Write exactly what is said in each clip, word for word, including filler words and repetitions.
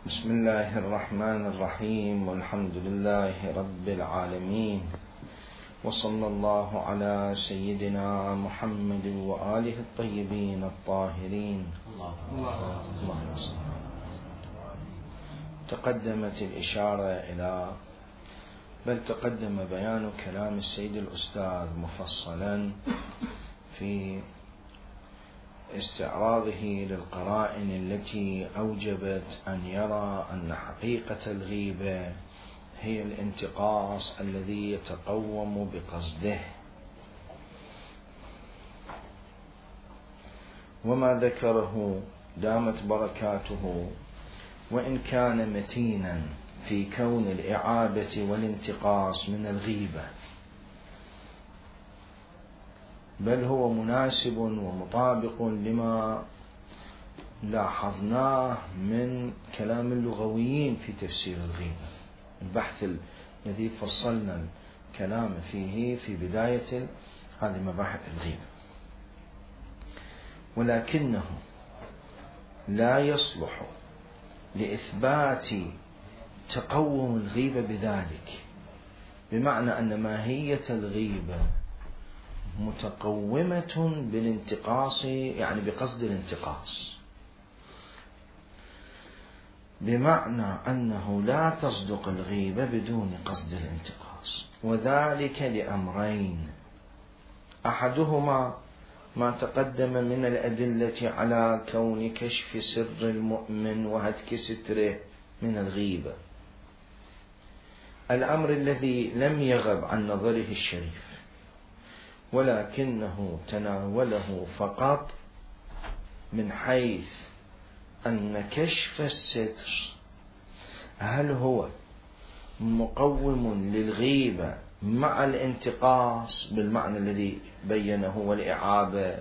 بسم الله الرحمن الرحيم، والحمد لله رب العالمين، وصلى الله على سيدنا محمد وآله الطيبين الطاهرين. اللهم صل. تقدمت الإشارة إلى بل تقدم بيان كلام السيد الأستاذ مفصلا في استعراضه للقرائن التي أوجبت أن يرى أن حقيقة الغيبة هي الانتقاص الذي يتقوم بقصده، وما ذكره دامت بركاته وإن كان متينا في كون الإعابة والانتقاص من الغيبة، بل هو مناسب ومطابق لما لاحظناه من كلام اللغويين في تفسير الغيبة، البحث الذي فصلنا الكلام فيه في بداية هذه مباحث الغيبة. ولكنه لا يصلح لإثبات تقوم الغيبة بذلك، بمعنى أن ماهية الغيبة متقومة بالانتقاص، يعني بقصد الانتقاص، بمعنى أنه لا تصدق الغيبة بدون قصد الانتقاص، وذلك لأمرين: أحدهما ما تقدم من الأدلة على كون كشف سر المؤمن وهتك ستره من الغيبة، الأمر الذي لم يغب عن نظره الشريف، ولكنه تناوله فقط من حيث أن كشف الستر هل هو مقوم للغيبة مع الانتقاص بالمعنى الذي بينه والإعابة،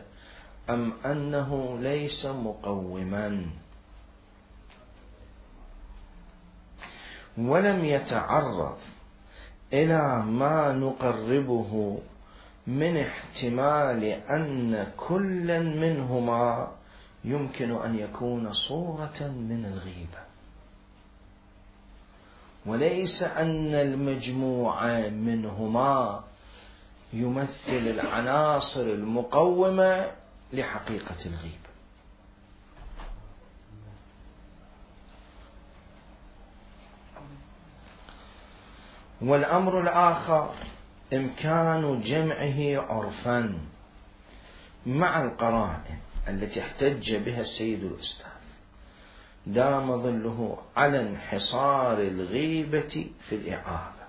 أم أنه ليس مقوما، ولم يتعرض إلى ما نقربه من احتمال أن كلا منهما يمكن أن يكون صورة من الغيبة، وليس أن المجموع منهما يمثل العناصر المقومة لحقيقة الغيبة. والأمر الآخر إمكان جمعه عرفا مع القرائن التي احتج بها السيد الأستاذ دام ظله على انحصار الغيبة في الإعابة.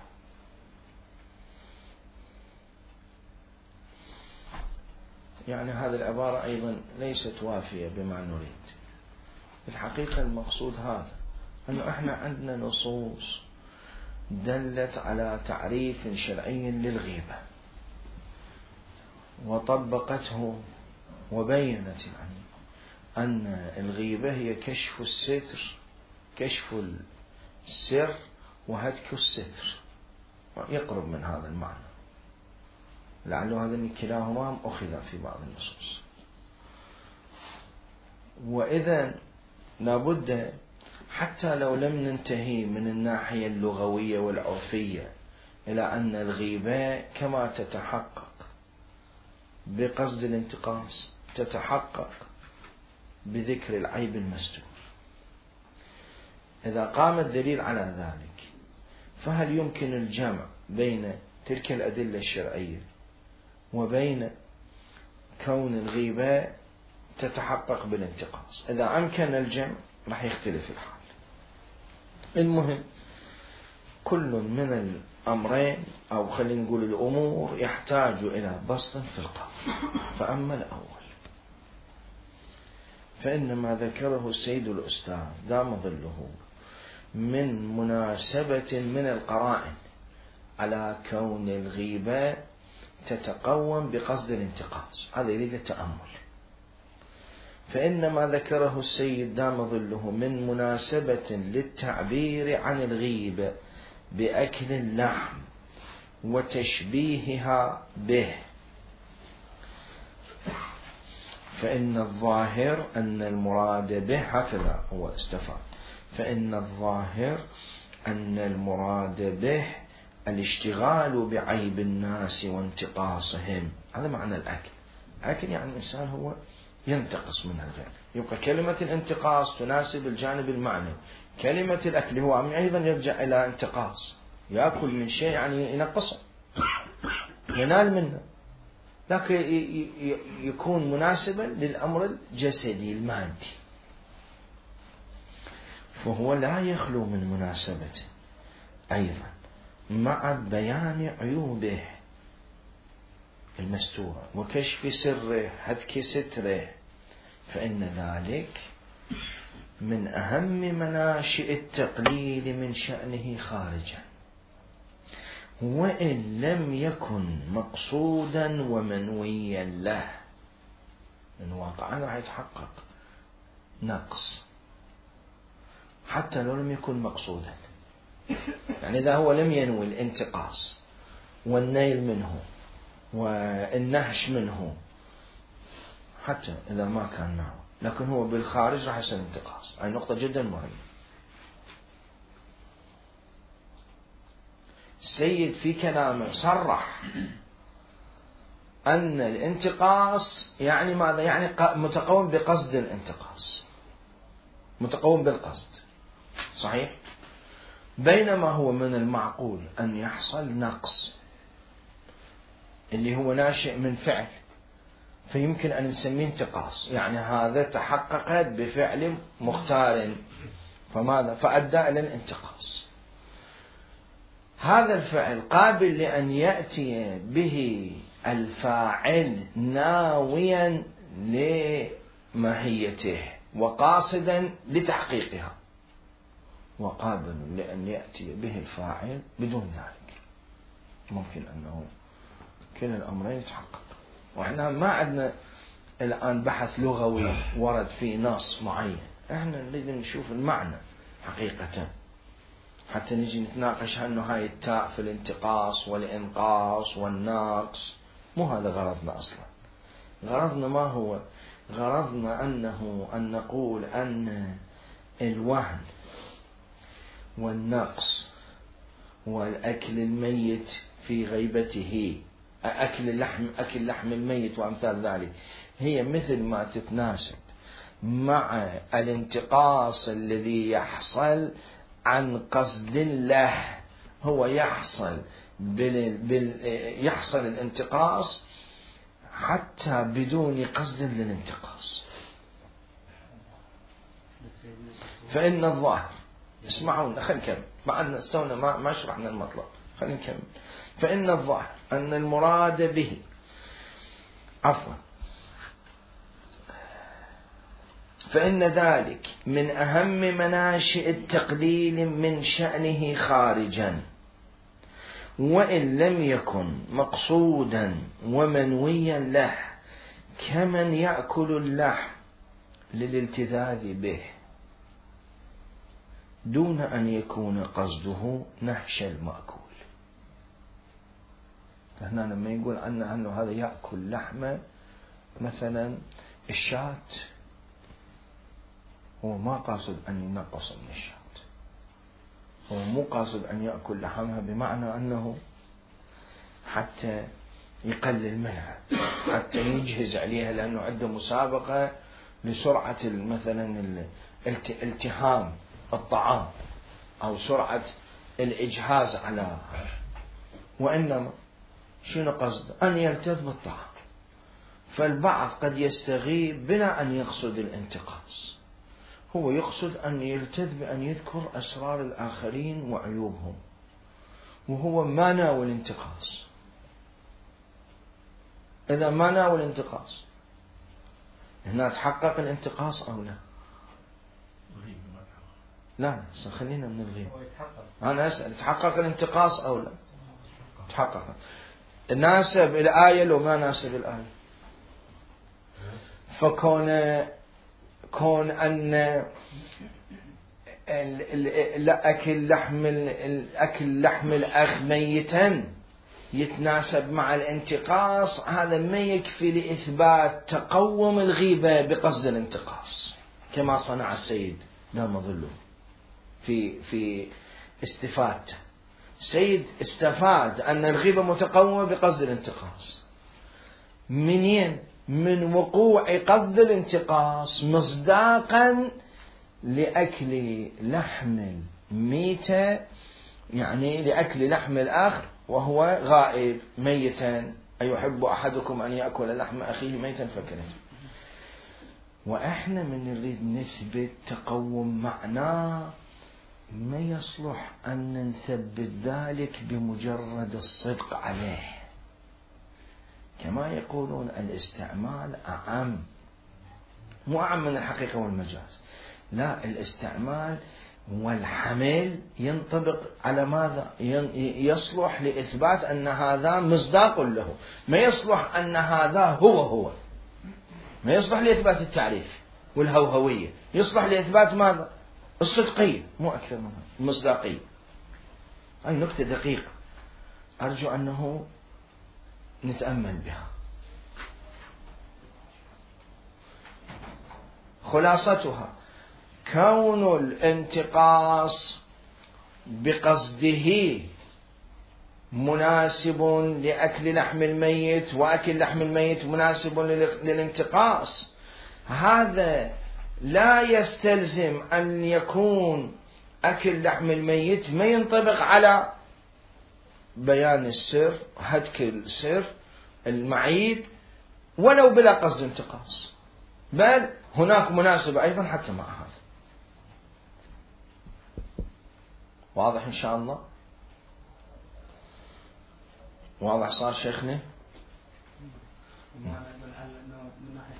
يعني هذه العبارة أيضا ليست وافية بما نريد. الحقيقة المقصود هذا، أنه إحنا عندنا نصوص دلت على تعريف شرعي للغيبة وطبقته وبينت يعني أن الغيبة هي كشف الستر، كشف السر وهتك الستر، يقرب من هذا المعنى، لعله هذا كلاهما أخذ في بعض النصوص. وإذا لابد حتى لو لم ننتهي من الناحية اللغوية والعرفية إلى أن الغيبة كما تتحقق بقصد الانتقاص تتحقق بذكر العيب المستور، إذا قام الدليل على ذلك فهل يمكن الجمع بين تلك الأدلة الشرعية وبين كون الغيبة تتحقق بالانتقاص؟ إذا أمكن الجمع راح يختلف الحال. المهم كل من الأمرين أو خلينا نقول الأمور يحتاج إلى بسط في القول. فأما الأول فإنما ذكره السيد الأستاذ دام ظله من مناسبة من القرائن على كون الغيبة تتقوم بقصد الانتقاص، هذا يريد التأمل. فإنما ذكره السيد دام ظله من مناسبة للتعبير عن الغيبة بأكل اللحم وتشبيهها به، فإن الظاهر أن المراد به هكذا هو استفاد، فإن الظاهر أن المراد به الاشتغال بعيب الناس وانتقاصهم. هذا معنى الأكل. الأكل يعني الإنسان هو ينتقص من الغير. يبقى كلمة الانتقاص تناسب الجانب المعنوي. كلمة الأكل هو أيضا يرجع إلى انتقاص، يأكل من شيء يعني ينقصه، ينال منه، لكن يكون مناسبا للأمر الجسدي المادي، فهو لا يخلو من مناسبته أيضا مع بيان عيوبه المستورة وكشف سره هتك ستره، فإن ذلك من أهم مناشئ التقليل من شأنه خارجا، وإن لم يكن مقصودا ومنويا له، من واقعا راح يتحقق نقص حتى لو لم يكن مقصودا. يعني إذا هو لم ينوي الانتقاص والنيل منه والنهش منه، حتى إذا ما كان معه، لكن هو بالخارج راح يصير انتقاص. هاي نقطة جدا مهمة. السيد في كلامه صرح أن الانتقاص يعني ماذا؟ يعني متقوم بقصد الانتقاص، متقوم بالقصد، صحيح؟ بينما هو من المعقول أن يحصل نقص اللي هو ناشئ من فعل، فيمكن أن نسميه انتقاص، يعني هذا تحقق بفعل مختار، فماذا؟ فأدى إلى الانتقاص. هذا الفعل قابل لأن يأتي به الفاعل ناويا لماهيته وقاصدا لتحقيقها، وقابل لأن يأتي به الفاعل بدون ذلك. ممكن أنه كلا الأمرين يتحقق. وإحنا ما عندنا الآن بحث لغوي ورد في نص معين، إحنا نريد نشوف المعنى حقيقة حتى نجي نتناقش أنه هاي التاء في الانتقاص والإنقاص والنقص. مو هذا غرضنا أصلا. غرضنا ما هو؟ غرضنا أنه أن نقول أن الوهن والنقص والأكل الميت في غيبته، أكل اللحم أكل لحم الميت وأمثال ذلك، هي مثل ما تتناسب مع الانتقاص الذي يحصل عن قصد له. هو يحصل بال... بال... يحصل الانتقاص حتى بدون قصد للانتقاص. فإن الظاهر، اسمعونا خلينا نكمل، مع أن استونا ما ما شرحنا المطلب، خلينا نكمل. فإن الظاهر أن المراد به عفوا فإن ذلك من أهم مناشئ التقليل من شأنه خارجا، وإن لم يكن مقصودا ومنويا له، كمن يأكل اللحم للالتذاذ به دون أن يكون قصده نهش المأكول. فهنا لما يقول عنه أنه هذا يأكل لحمة مثلا الشاة، هو ما قاصد أن ينقص من الشاة، هو مو قاصد أن يأكل لحمها بمعنى أنه حتى يقلل منها، حتى يجهز عليها، لأنه عنده مسابقة لسرعة مثلا التهام الطعام أو سرعة الإجهاز على، وإنما شنو قصده؟ أن يلتذ بالطعام. فالبعض قد يستغيب بلا أن يقصد الانتقاص، هو يقصد أن يلتذ بأن يذكر أسرار الآخرين وعيوبهم، وهو ما ناوي الانتقاص. إذا ما ناوي الانتقاص هنا تحقق الانتقاص أو لا؟ لا خلينا من الغيب. أنا أسأل تحقق الانتقاص أو لا؟ تحقق. ناسب الآية لو ما ناسب الآية؟ فكون كون أن الأكل لحم الأكل لحم الأخ ميتا يتناسب مع الانتقاص، هذا ما يكفي لإثبات تقوم الغيبة بقصد الانتقاص كما صنع السيد دام ظله. في في استفادته. سيد استفاد أن الغيبة متقومة بقصد الانتقاص. منين؟ من وقوع قصد الانتقاص مصداقا لأكل لحم الميتة، يعني لأكل لحم الآخر وهو غائب ميتا. أيحب أحدكم أن يأكل لحم أخيه ميتا فكرهته. وإحنا من نريد نثبت تقوم معناه ما يصلح أن نثبت ذلك بمجرد الصدق عليه، كما يقولون الاستعمال أعم، مو أعم من الحقيقة والمجاز، لا، الاستعمال والحمل ينطبق على ماذا؟ يصلح لإثبات أن هذا مصداق له، ما يصلح أن هذا هو هو، ما يصلح لإثبات التعريف والهوهوية، يصلح لإثبات ماذا؟ الصدقية، مو أكثر منها، المصداقية. هاي نكتة دقيقة أرجو أنه نتأمل بها. خلاصتها كون الانتقاص بقصده مناسب لأكل لحم الميت، وأكل لحم الميت مناسب للانتقاص، هذا لا يستلزم أن يكون أكل لحم الميت ما ينطبق على بيان السر، هتك السر المعيب، ولو بلا قصد انتقاص، بل هناك مناسبة أيضا حتى مع هذا. واضح إن شاء الله؟ واضح صار شيخنا؟ من ناحية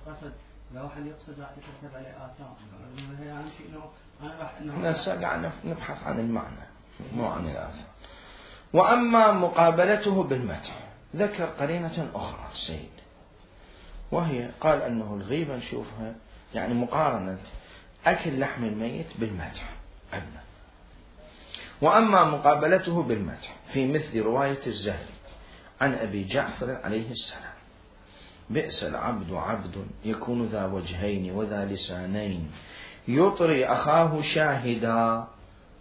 القصد لو حد يقصد راح يترتب عليه آثار، يعني شيء إنه أنا راح إنه هسه قاعد نبحث عن المعنى مو عن الآثار. وأما مقابلته بالمدح ذكر قرينة أخرى السيد، وهي قال أنه الغيبة نشوفها يعني مقارنة أكل لحم الميت بالمدح أدنى. وأما مقابلته بالمدح في مثل رواية الزهري عن أبي جعفر عليه السلام: بئس العبد عبد يكون ذا وجهين وذا لسانين يطري أخاه شاهدا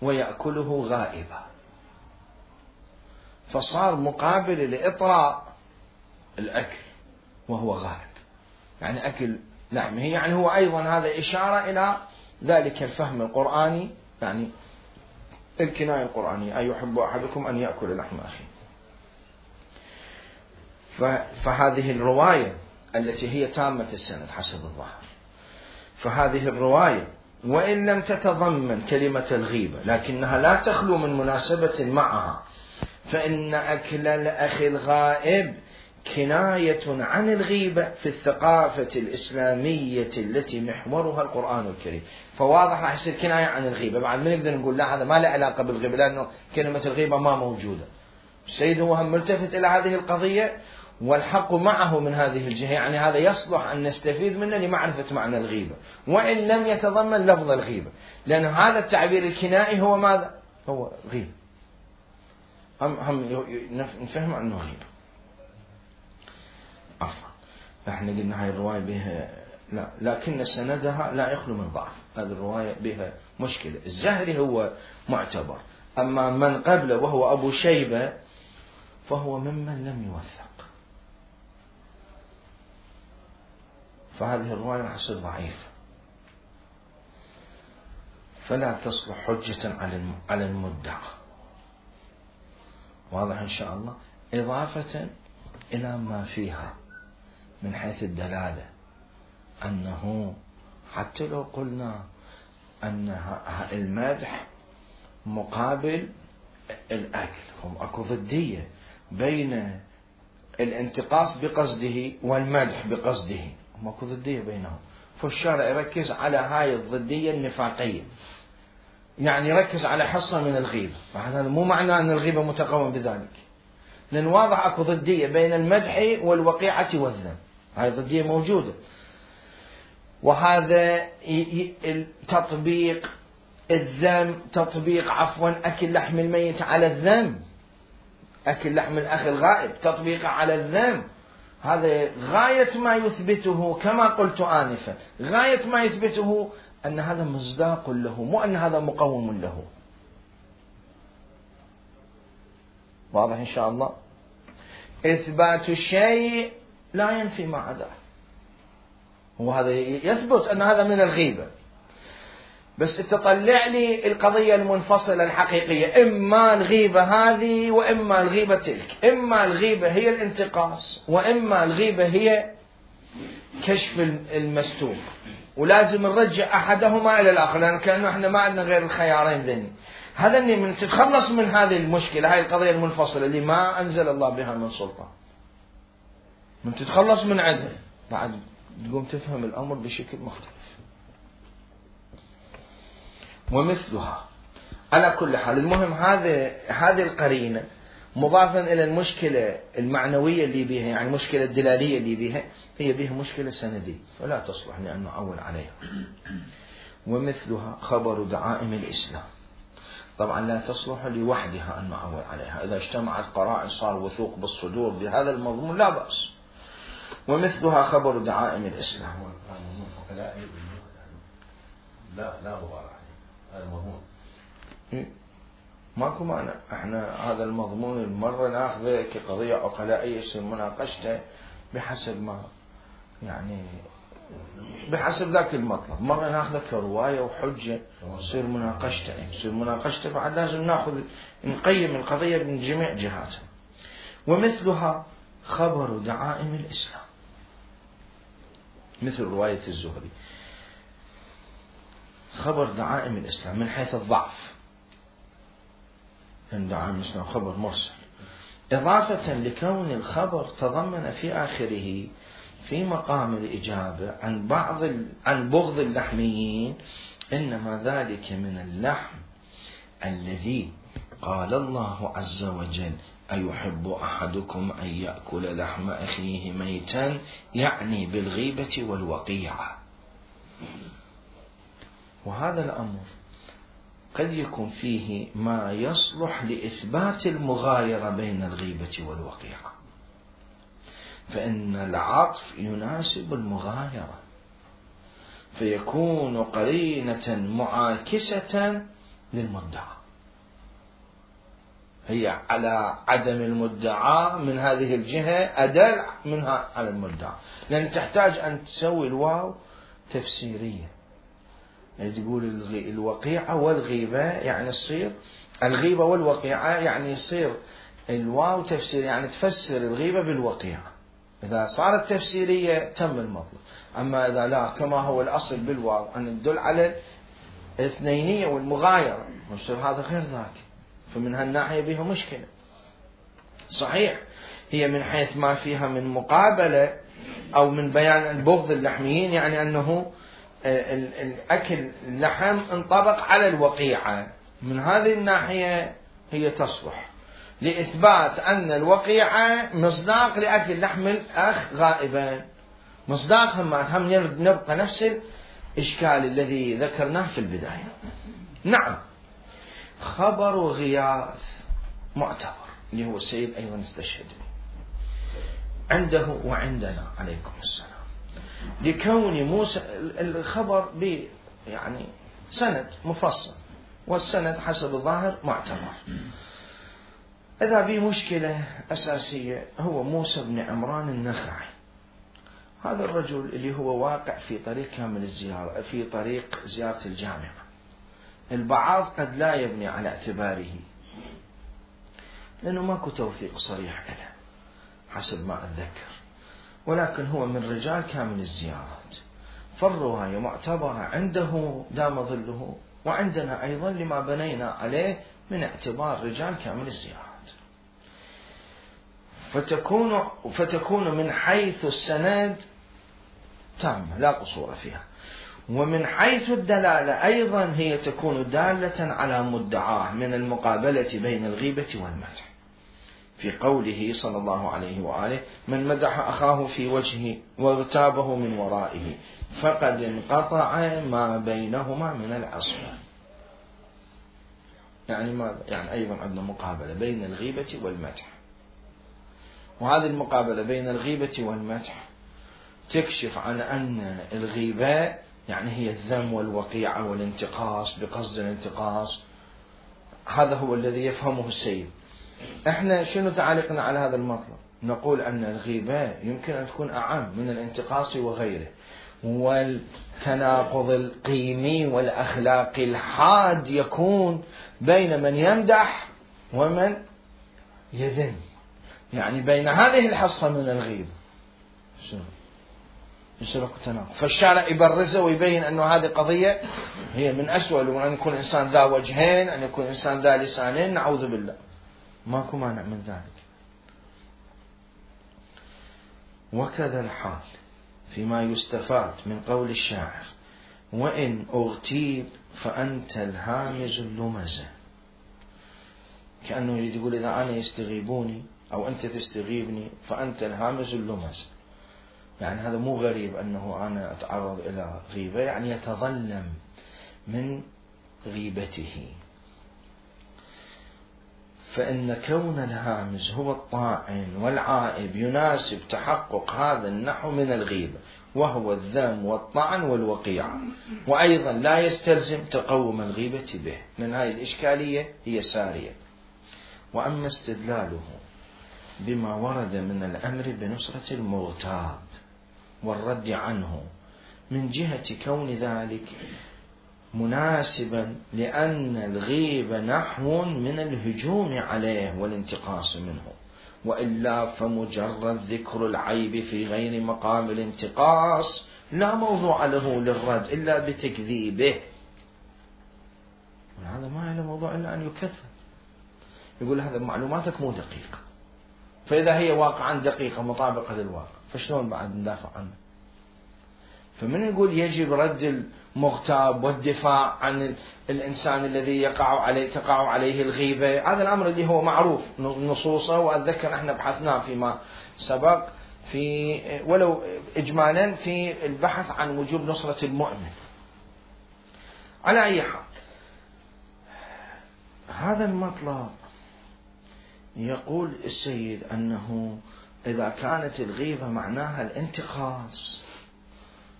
ويأكله غائبا. فصار مقابل لإطراء الأكل وهو غائب، يعني أكل لحمه، يعني هو أيضا هذا إشارة إلى ذلك الفهم القرآني، يعني الكناية القرآنية: أيحب أحدكم أن يأكل لحم أخيه. فهذه الرواية التي هي تامة السند حسب الظاهر، فهذه الرواية وإن لم تتضمن كلمة الغيبة لكنها لا تخلو من مناسبة معها، فإن أكل الأخ الغائب كناية عن الغيبة في الثقافة الإسلامية التي محورها القرآن الكريم. فواضح راح يصير كناية عن الغيبة. بعد ما نقدر نقول لا، هذا ما له علاقة بالغيبة لأنه كلمة الغيبة ما موجودة. السيد هو هم ملتفت إلى هذه القضية، والحق معه من هذه الجهة، يعني هذا يصلح أن نستفيد منه لمعرفة معنى الغيبة وإن لم يتضمن لفظ الغيبة، لأن هذا التعبير الكنائي هو ماذا؟ هو غيبة، هم هم نفهم أنه غيبة. عفوا، احنا قلنا هاي الرواية بها لا، لكن سندها لا يخلو من ضعف. هذه الرواية بها مشكلة. الزهري هو معتبر، أما من قبله وهو أبو شيبة فهو ممن لم يوثق، فهذه الرواية راح تصير ضعيفة، فلا تصلح حجة على المدعى. واضح إن شاء الله؟ إضافة إلى ما فيها من حيث الدلالة، أنه حتى لو قلنا أن المدح مقابل الأكل، هم أكو ضدية بين الانتقاص بقصده والمدح بقصده، هم أكو ضدية بينهم. فالشارع يركز على هاي الضدية النفاقية، يعني يركز على حصة من الغيبة، فهذا مو معنى أن الغيبة متقوم بذلك، لأن واضح أكو ضدية بين المدح والوقيعة والذم، هاي ضدية موجودة. وهذا تطبيق الذم، تطبيق عفوا أكل لحم الميت على الذم، أكل لحم الأخ الغائب تطبيقه على الذم، هذا غاية ما يثبته كما قلت آنفا، غاية ما يثبته أن هذا مصداق له، مو أن هذا مقوم له. واضح إن شاء الله؟ إثبات الشيء لا ينفي ما عداه، وهذا يثبت أن هذا من الغيبة، بس تطلع لي القضية المنفصلة الحقيقية، إما الغيبة هذه وإما الغيبة تلك، إما الغيبة هي الانتقاص وإما الغيبة هي كشف المستور، ولازم نرجع أحدهما إلى الآخر، لأن كأنه إحنا ما عندنا غير الخيارين ذني. هذا اللي من تتخلص من هذه المشكلة، هاي القضية المنفصلة اللي ما أنزل الله بها من سلطان، من تتخلص من عندها بعد تقوم تفهم الأمر بشكل مختلف. ومثلها على كل حال. المهم هذه هذه القرينة مضافا إلى المشكلة المعنوية اللي بها، يعني المشكلة الدلالية اللي بها، هي بها مشكلة سندية فلا تصلح لأن نعول عليها. ومثلها خبر دعائم الإسلام، طبعا لا تصلح لوحدها أن نعول عليها، إذا اجتمعت قرائن صار وثوق بالصدور بهذا المضمون لا بأس. ومثلها خبر دعائم الإسلام. لا لا غبار عليه، هذا المضمون ماكو معنى. احنا هذا المضمون المرة ناخذه كقضية عقلائية يصير مناقشته بحسب ما يعني بحسب ذاك المطلب، مرة ناخذه كرواية وحجة يصير مناقشته يصير مناقشته بعد لازم ناخذ نقيم القضية من جميع جهاتها. ومثلها خبر دعائم الإسلام، مثل رواية الزهري، خبر دعائم الإسلام من حيث الضعف، أن دعائم الإسلام خبر مرسل، إضافة لكون الخبر تضمن في آخره في مقام الإجابة عن بعض عن بغض اللحميين، إنما ذلك من اللحم الذي قال الله عز وجل أيحب أحدكم أن يأكل لحم أخيه ميتا، يعني بالغيبة والوقيعة. وهذا الأمر قد يكون فيه ما يصلح لإثبات المغايرة بين الغيبة والوقيعة، فإن العطف يناسب المغايرة فيكون قرينة معاكسة للمدعى، هي على عدم المدعى من هذه الجهة أدل منها على المدعى، لأن تحتاج أن تسوي الواو تفسيرية، يعني تقول الوقيعة والغيبة يعني يصير الغيبة والوقيعة يعني يصير الواو تفسير، يعني تفسر الغيبة بالوقيعة. إذا صارت تفسيرية تم المطلب. أما إذا لا كما هو الأصل بالواو أن تدل على الاثنينية والمغايرة، يصير هذا غير ذاك، فمن هالناحية بها مشكلة. صحيح هي من حيث ما فيها من مقابلة أو من بيان البغض اللحميين، يعني أنه الأكل اللحم انطبق على الوقيعة، من هذه الناحية هي تصلح لإثبات أن الوقيعة مصداق لأكل لحم الأخ غائبا، مصداق هم هم نبقى نفس الإشكال الذي ذكرناه في البداية. نعم خبر غياث معتبر اللي هو السيد أيضا استشهد عنده وعندنا عليكم السلام، لكون موسى الخبر ب يعني سند مفصل، والسند حسب الظاهر معتبر. إذا به مشكلة أساسية هو موسى بن عمران النخعي، هذا الرجل اللي هو واقع في طريق كامل الزيارة في طريق زيارة الجامعة، البعض قد لا يبني على اعتباره لأنه ماكو توثيق صريح له حسب ما أتذكر، ولكن هو من رجال كامل الزيارات، فالرواية معتبرة عنده دام ظله، وعندنا أيضا لما بنينا عليه من اعتبار رجال كامل الزيارات، فتكون فتكون من حيث السند تامة لا قصور فيها، ومن حيث الدلالة أيضا هي تكون دالة على مدعاه من المقابلة بين الغيبة والمدح، في قوله صلى الله عليه وآله من مدح أخاه في وجهه واغتابه من ورائه فقد انقطع ما بينهما من العصمة. يعني ما يعني أيضا عندنا مقابلة بين الغيبة والمدح، وهذه المقابلة بين الغيبة والمدح تكشف عن أن الغيبة يعني هي الذم والوقيعة والانتقاص بقصد الانتقاص. هذا هو الذي يفهمه السيد. احنا شنو تعليقنا على هذا المطلب؟ نقول أن الغيبة يمكن أن تكون أعم من الانتقاص وغيره، والتناقض القيمي والأخلاقي الحاد يكون بين من يمدح ومن يذم، يعني بين هذه الحصة من الغيبة شنو يصير تناقض. فالشارع يبرزه ويبين أنه هذه قضية هي من أسوأ، أن يكون إنسان ذا وجهين، أن يكون إنسان ذا لسانين، نعوذ بالله، ماكو مانع من ذلك. وكذا الحال فيما يستفاد من قول الشاعر: وإن أغتيب فأنت الهامز اللمزة. كأنه يريد يقول إذا أنا يستغيبوني أو أنت تستغيبني فأنت الهامز اللمزة، يعني هذا مو غريب أنه أنا أتعرض إلى غيبة، يعني يتظلم من غيبته. فإن كون الهامز هو الطاعن والعائب يناسب تحقق هذا النحو من الغيبة، وهو الذم والطعن والوقيعة، وأيضا لا يستلزم تقوم الغيبة به. من هذه الإشكالية هي سارية. وأما استدلاله بما ورد من الأمر بنصرة المغتاب والرد عنه من جهة كون ذلك مناسبا لأن الغيبة نحو من الهجوم عليه والانتقاص منه، وإلا فمجرد ذكر العيب في غير مقام الانتقاص لا موضوع له للرد إلا بتكذيبه. هذا ما له موضوع إلا أن يكذب، يقول هذا معلوماتك مو دقيقة، فإذا هي واقعا دقيقة مطابقة للواقع فشلون بعد ندافع عنه؟ فمن يقول يجب رد المغتاب والدفاع عن الإنسان الذي يقع عليه تقع عليه الغيبة، هذا الأمر اللي هو معروف نصوصه، وأتذكر احنا بحثناه فيما سبق في ولو إجمالا في البحث عن وجوب نصرة المؤمن. على أي حال هذا المطلب يقول السيد أنه إذا كانت الغيبة معناها الانتقاص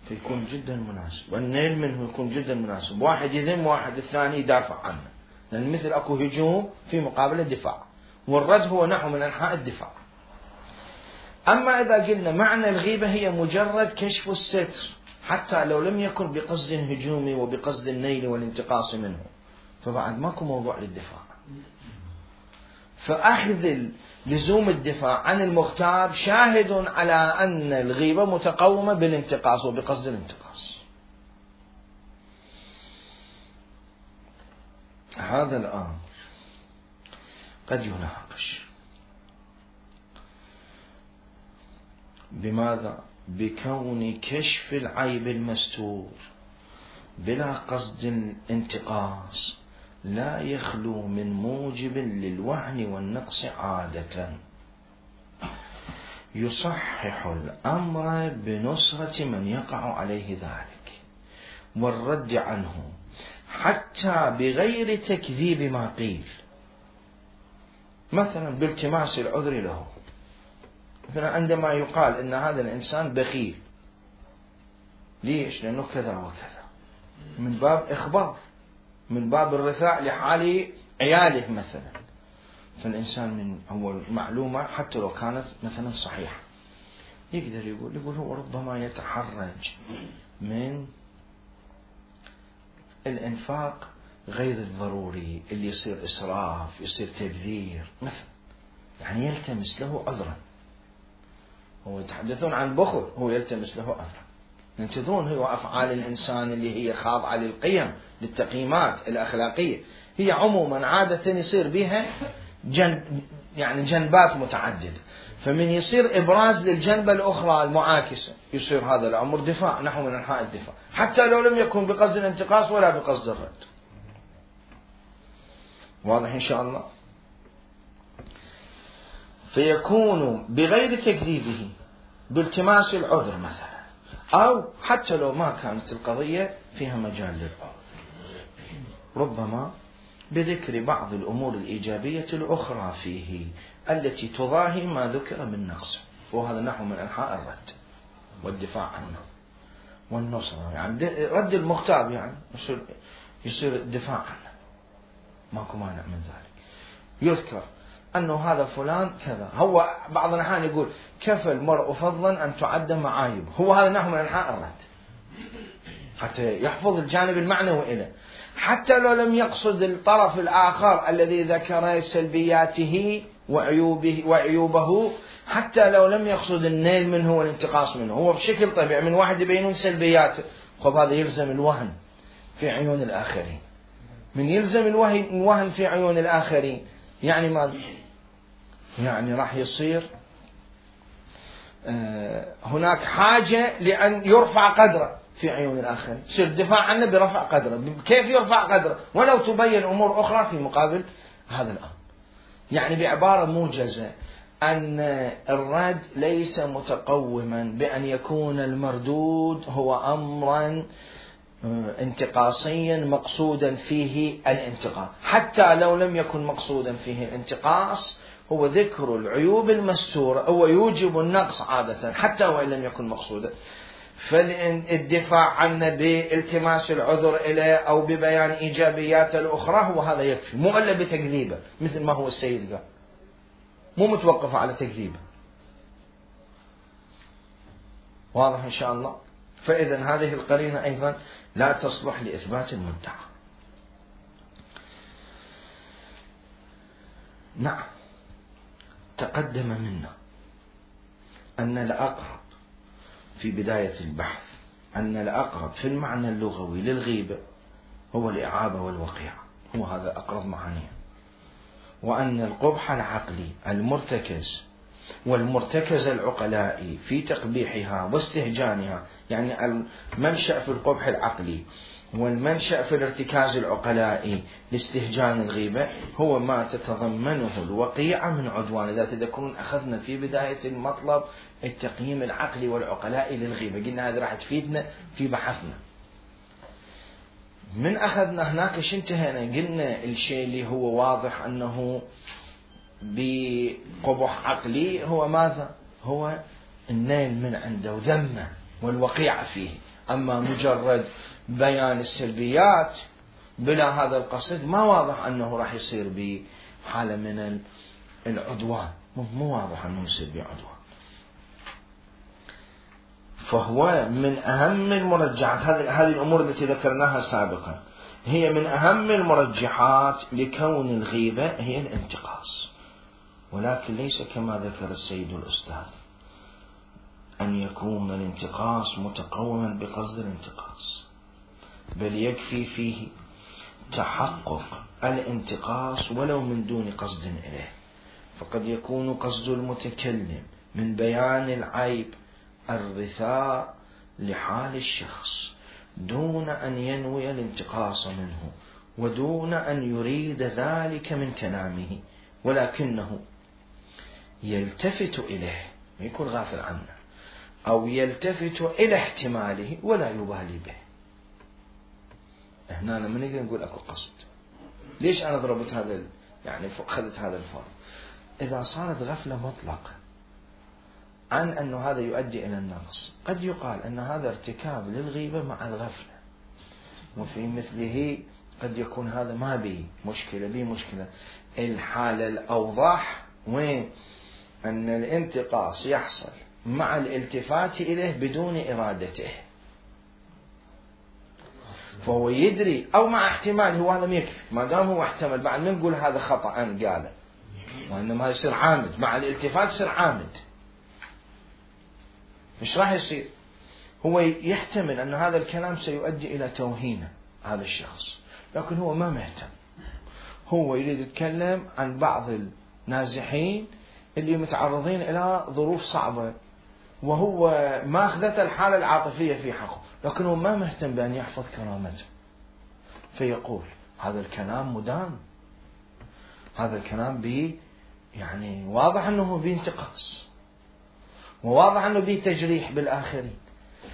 فيكون جدا مناسب، والنيل منه يكون جدا مناسب، واحد يذم واحد الثاني يدافع عنه، لأن مثل أكو هجوم في مقابل الدفاع، والرد هو نحو من أنحاء الدفاع. أما إذا قلنا معنى الغيبة هي مجرد كشف الستر حتى لو لم يكن بقصد هجومي وبقصد النيل والانتقاص منه، فبعد ماكو موضوع للدفاع. فأخذ لزوم الدفاع عن المغتاب شاهد على أن الغيبة متقومة بالانتقاص وبقصد الانتقاص. هذا الأمر قد يناقش. بماذا؟ بكون كشف العيب المستور بلا قصد الانتقاص لا يخلو من موجب للوهن والنقص عادة، يصحح الأمر بنصرة من يقع عليه ذلك والرد عنه حتى بغير تكذيب ما قيل، مثلا بالتماس العذر له. مثلا عندما يقال إن هذا الإنسان بخيل، ليش؟ لأنه كذا وكذا، من باب إخبار، من باب الرثاء لحال عياله مثلا. فالإنسان من أول معلومة حتى لو كانت مثلا صحيحة يقدر يقول يقول هو ربما يتحرج من الإنفاق غير الضروري اللي يصير إسراف، يصير تبذير مثلا، يعني يلتمس له عذرا. هو يتحدثون عن بخل، هو يلتمس له عذرا. ينتظرون هو أفعال الإنسان اللي هي خاضعة للقيم للتقييمات الأخلاقية، هي عموما عادة يصير بها جن يعني جنبات متعددة، فمن يصير إبراز للجنبة الأخرى المعاكسة يصير هذا الأمر دفاع نحو من أنحاء الدفاع، حتى لو لم يكن بقصد الانتقاص ولا بقصد الرد. واضح إن شاء الله؟ فيكون بغير تكذيبه بالتماس العذر مثلا، أو حتى لو ما كانت القضية فيها مجال للعذر، ربما بذكر بعض الأمور الإيجابية الأخرى فيه التي تضاهي ما ذكر من نقص، وهذا نحو من أنحاء الرد والدفاع عنه والنصرة. يعني رد المغتاب يعني يصير, يصير الدفاع عنه، ماكو مانع من ذلك. يذكر أنه هذا فلان كذا، هو بعض الأحيان يقول كفى المرء فضلا أن تعد معايب، هو هذا نحو من أنحاء الرد حتى يحفظ الجانب المعنوي إليه، حتى لو لم يقصد الطرف الآخر الذي ذكر سلبياته وعيوبه, وعيوبه حتى لو لم يقصد النيل منه والانتقاص منه، هو بشكل طبيعي من واحد يبينون سلبياته، خب هذا يلزم الوهن في عيون الآخرين. من يلزم الوهن في عيون الآخرين يعني ما يعني راح يصير هناك حاجة لأن يرفع قدره في عيون الآخرين، يصير الدفاع عنه برفع قدره. كيف يرفع قدره؟ ولو تبين أمور أخرى في مقابل هذا الأمر. يعني بعبارة موجزة أن الرد ليس متقوما بأن يكون المردود هو أمرا انتقاصيا مقصودا فيه الانتقاص، حتى لو لم يكن مقصودا فيه الانتقاص، هو ذكر العيوب المستورة هو يوجب النقص عادة حتى وإن لم يكن مقصودا. فالدفاع عنه بالتماس العذر إليه أو ببيان إيجابيات الأخرى هو هذا يكفي، مو إلا بتكذيبه مثل ما هو السيد قال، مو متوقف على تكذيبه. واضح إن شاء الله؟ فإذا هذه القرينة أيضا لا تصلح لإثبات المدعى. نعم، تقدم منا أن الأقرب في بداية البحث أن الأقرب في المعنى اللغوي للغيبة هو الإعابة والوقيعة، هو هذا أقرب معانيه، وأن القبح العقلي المرتكز والمرتكز العقلائي في تقبيحها واستهجانها، يعني المنشأ في القبح العقلي والمنشأ في الارتكاز العقلائي لاستهجان الغيبة هو ما تتضمنه الوقيعة من عدوان. إذا تذكرون أخذنا في بداية المطلب التقييم العقلي والعقلائي للغيبة، قلنا هذا راح تفيدنا في بحثنا. من أخذنا هناك ايش انتهينا؟ قلنا الشيء اللي هو واضح أنه بقبح عقلي هو ماذا؟ هو النيل من عنده وذمه والوقيعة فيه. أما مجرد بيان السلبيات بلا هذا القصد ما واضح أنه راح يصير بحالة من العدوان، مو واضح أنه يصير بعدوان. فهو من أهم المرجحات، هذه الأمور التي ذكرناها سابقا هي من أهم المرجحات لكون الغيبة هي الانتقاص، ولكن ليس كما ذكر السيد الأستاذ أن يكون الانتقاص متقوما بقصد الانتقاص، بل يكفي فيه تحقق الانتقاص ولو من دون قصد إليه. فقد يكون قصد المتكلم من بيان العيب الرثاء لحال الشخص دون أن ينوي الانتقاص منه ودون أن يريد ذلك من كلامه، ولكنه يلتفت إليه، ما يكون غافل عنه، أو يلتفت إلى احتماله ولا يبالي به. هنا لما نقدر نقول أكو قصد. ليش أنا ضربت هذا يعني أخذت هذا الفرض؟ إذا صارت غفلة مطلقة عن أنه هذا يؤدي إلى النقص، قد يقال أن هذا ارتكاب للغيبة مع الغفلة، وفي مثله قد يكون هذا ما به مشكلة به مشكلة. الحالة الأوضح وين أن الانتقاص يحصل مع الالتفات إليه بدون إرادته، فهو يدري أو مع احتمال، هو هذا يكفي ما دام هو احتمل. بعد ما نقول هذا خطأ أنا قاله، وإنما يصير عامد مع الالتفات، يصير عامد. مش راح يصير، هو يحتمل أن هذا الكلام سيؤدي إلى توهين هذا الشخص، لكن هو ما مهتم، هو يريد يتكلم عن بعض النازحين اللي متعرضين إلى ظروف صعبة وهو ما أخذت الحالة العاطفية في حقه، لكن هو ما مهتم بأن يحفظ كرامته، فيقول هذا الكلام مدان، هذا الكلام به يعني واضح أنه بانتقاص، وواضح أنه به تجريح بالآخرين،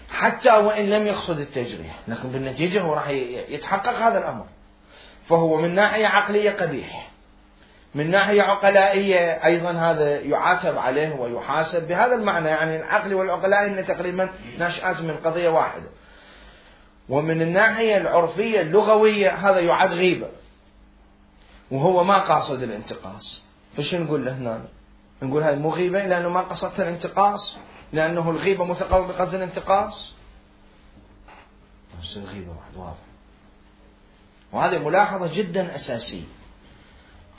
حتى وإن لم يقصد التجريح، لكن بالنتيجة هو راح يتحقق هذا الأمر. فهو من ناحية عقلية قبيح، من ناحية عقلائية أيضا هذا يعاتب عليه ويحاسب بهذا المعنى، يعني العقل والعقلاء إن تقريبا ناشئات من قضية واحدة. ومن الناحية العرفية اللغوية هذا يعد غيبة وهو ما قاصد الانتقاص، فش نقول له هنا؟ نقول هذا مو غيبة لأنه ما قصدت الانتقاص، لأنه الغيبة متقوم بقصد الانتقاص. بس الغيبة واحد واضح، وهذه ملاحظة جدا أساسية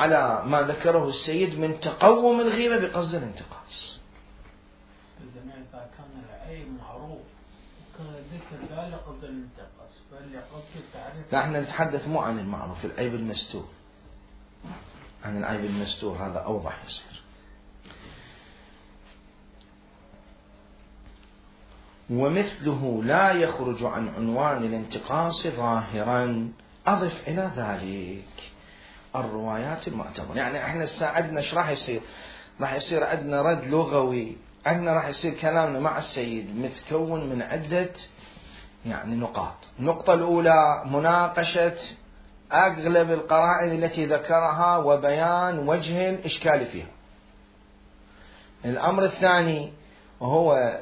على ما ذكره السيد من تقوم الغيبة بقصد الانتقاص. الجميع إذا كان العيب معروف وكان ذكر لا لقصد الانتقاص فلقصد التعريف. نحن نتحدث مو عن المعروف، العيب المستور، عن العيب المستور هذا أوضح يصير. ومثله لا يخرج عن عنوان الانتقاص ظاهرا. أضف إلى ذلك الروايات المعتبرة. يعني احنا عندنا ايش راح يصير؟ راح يصير عندنا رد لغوي، عندنا راح يصير كلامنا مع السيد متكون من عدة يعني نقاط. النقطة الأولى مناقشة أغلب القرائن التي ذكرها وبيان وجه الإشكال فيها. الأمر الثاني وهو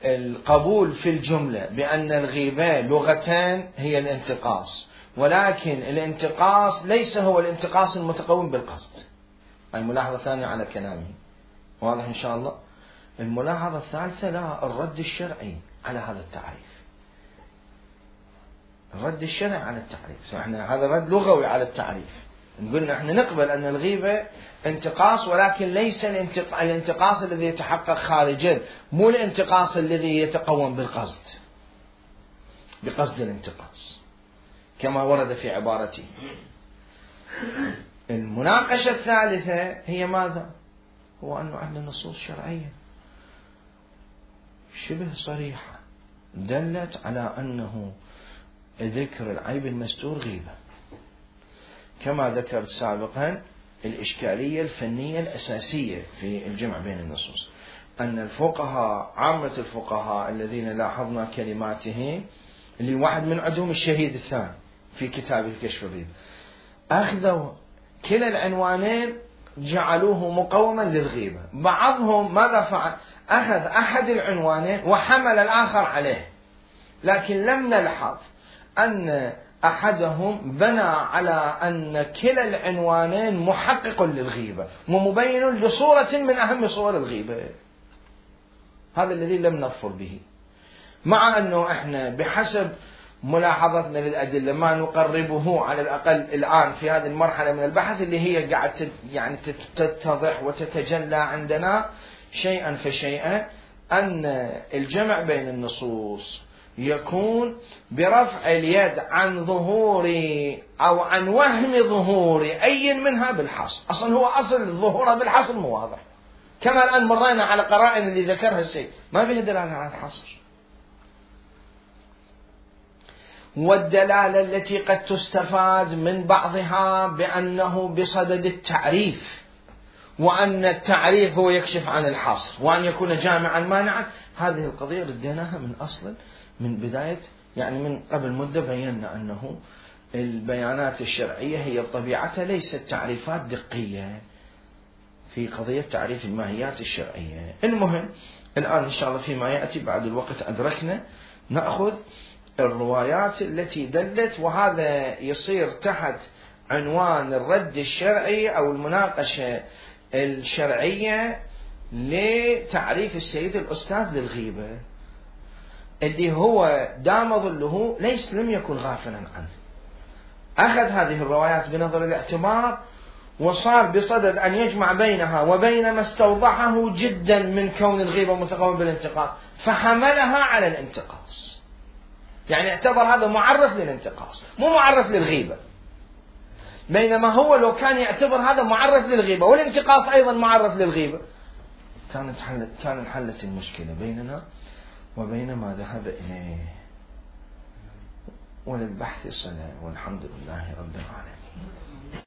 القبول في الجملة بأن الغيبة لغتان هي الانتقاص، ولكن الانتقاص ليس هو الانتقاص المتقوم بالقصد. هاي ملاحظة ثانية على كلامي، واضح إن شاء الله. الملاحظة الثالثة لا الرد الشرعي على هذا التعريف، الرد الشرعي على التعريف. احنا هذا رد لغوي على التعريف. نقول احنا نقبل أن الغيبة انتقاص، ولكن ليس الانتقاص الذي يتحقق خارجا، مو الانتقاص الذي يتقوم بالقصد بقصد الانتقاص كما ورد في عبارتي. المناقشة الثالثة هي ماذا؟ هو أنه عندنا نصوص شرعية شبه صريحة دلت على أنه ذكر العيب المستور غيبة، كما ذكرت سابقا الإشكالية الفنية الأساسية في الجمع بين النصوص، أن الفقهاء عامة الفقهاء الذين لاحظنا كلماتهم اللي واحد من عندهم الشهيد الثاني في كتابه كشف الغيبة، أخذوا كلا العنوانين جعلوه مقوما للغيبة. بعضهم ماذا فعل؟ أخذ أحد العنوانين وحمل الآخر عليه، لكن لم نلحظ أن أحدهم بنى على أن كلا العنوانين محقق للغيبة ومبين لصورة من أهم صور الغيبة. هذا الذي لم نظفر به، مع أنه إحنا بحسب ملاحظتنا للأدلة ما نقربه على الأقل الآن في هذه المرحلة من البحث اللي هي قاعد يعني تتضح وتتجلى عندنا شيئا فشيئا، أن الجمع بين النصوص يكون برفع اليد عن ظهور أو عن وهم ظهور أي منها بالحصر. أصلا هو أصل ظهورها بالحصر مو واضح، كما الآن مرينا على قرائن اللي ذكرها السيد ما فيه دلالة على الحصر. والدلالة التي قد تستفاد من بعضها بأنه بصدد التعريف، وأن التعريف هو يكشف عن الحصر، وأن يكون جامعا مانعا. هذه القضية رديناها من أصل من بداية، يعني من قبل مدة بينا أنه البيانات الشرعية هي طبيعتها ليست تعريفات دقية في قضية تعريف الماهيات الشرعية. المهم الآن إن شاء الله فيما يأتي بعد الوقت أدركنا نأخذ الروايات التي دلت، وهذا يصير تحت عنوان الرد الشرعي أو المناقشة الشرعية لتعريف السيد الأستاذ للغيبة، اللي هو دام ظله ليس لم يكن غافلا عنه. أخذ هذه الروايات بنظر الاعتبار وصار بصدد أن يجمع بينها وبين ما استوضحه جدا من كون الغيبة متقوم بالانتقاص، فحملها على الانتقاص. يعني اعتبر هذا معرف للانتقاص مو معرف للغيبة، بينما هو لو كان يعتبر هذا معرف للغيبة والانتقاص أيضا معرف للغيبة كانت حلت كان انحلت المشكلة بيننا وبين ما ذهب إليه. وللبحث صلة، والحمد لله رب العالمين.